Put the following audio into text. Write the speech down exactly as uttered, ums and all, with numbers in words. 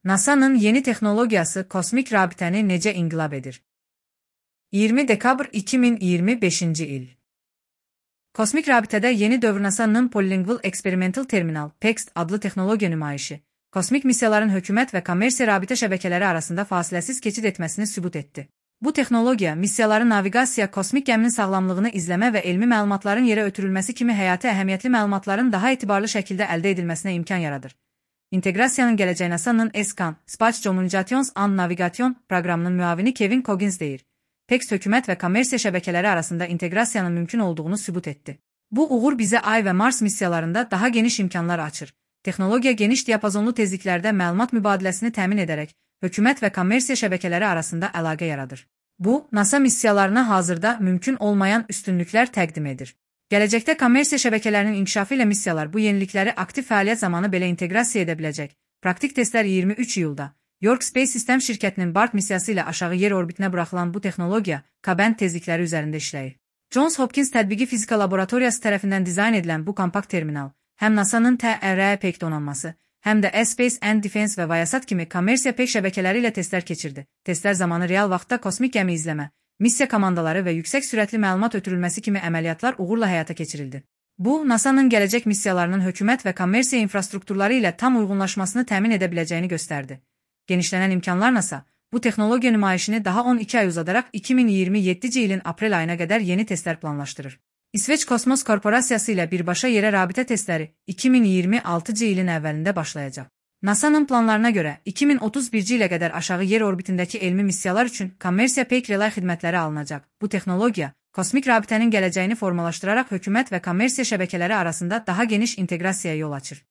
NASA'nın yeni texnologiyası kosmik rabitəni necə inqilab edir? iyirmi dekabr iki min iyirmi beşinci il. Kosmik rabitədə yeni dövr NASA'nın Polylingual Experimental Terminal (P E X T) adlı texnologiya nümayişi, kosmik missiyaların hökumət və kommersiya rabitə şəbəkələri arasında fasiləsiz keçid etməsini sübut etdi. Bu texnologiya, missiyaların naviqasiya, kosmik gəminin sağlamlığını izləmə və elmi məlumatların yerə ötürülməsi kimi həyati əhəmiyyətli məlumatların daha etibarlı şəkildə əldə edilməsinə imkan yaradır. İnteqrasiyanın gələcəyi NASA'nın ESCAN, Space Communications and Navigation proqramının müavini Kevin Coggins deyir. P E X T hökumət və kommersiya şəbəkələri arasında inteqrasiyanın mümkün olduğunu sübut etdi. Bu uğur bizə Ay və Mars missiyalarında daha geniş imkanlar açır. Texnologiya geniş diapazonlu tezliklərdə məlumat mübadiləsini təmin edərək, hökumət və kommersiya şəbəkələri arasında əlaqə yaradır. Bu, NASA missiyalarına hazırda mümkün olmayan üstünlüklər təqdim edir. Gələcəkdə kommersiya şəbəkələrinin inkişafı ilə missiyalar bu yenilikləri aktiv fəaliyyət zamanı belə inteqrasiya edə biləcək. Praktik testlər iyirmi üç iyulda York Space System şirkətinin BART missiyası ilə aşağı yer orbitinə buraxılan bu texnologiya K-band tezlikləri üzərində işləyir. Johns Hopkins Tətbiqi Fizika Laboratoriyası tərəfindən dizayn edilən bu kompakt terminal, həm NASA'nın T R E P E C T donanması, həm də Space and Defense və Viasat kimi kommersiya P E C şəbəkələri ilə testlər keçirdi. Testlər zamanı real vaxtda kosmik gəmi izləmə, missiya komandaları və yüksək sürətli məlumat ötürülməsi kimi əməliyyatlar uğurla həyata keçirildi. Bu, NASA'nın gələcək missiyalarının hökumət və kommersiya infrastrukturları ilə tam uyğunlaşmasını təmin edə biləcəyini göstərdi. Genişlənən imkanlar NASA, bu texnologiya nümayişini daha on iki ay uzadaraq iki min iyirmi yeddinci ilin aprel ayına qədər yeni testlər planlaşdırır. İsveç Kosmos Korporasiyası ilə birbaşa yerə rabitə testləri iki min iyirmi altıncı ilin əvvəlində başlayacaq. NASA'nın planlarına görə iki min otuz birinci ilə qədər aşağı yer orbitindəki elmi missiyalar üçün kommersiya P E C relay xidmətləri alınacaq. Bu texnologiya, kosmik rabitənin gələcəyini formalaşdıraraq hökumət və kommersiya şəbəkələri arasında daha geniş inteqrasiyaya yol açır.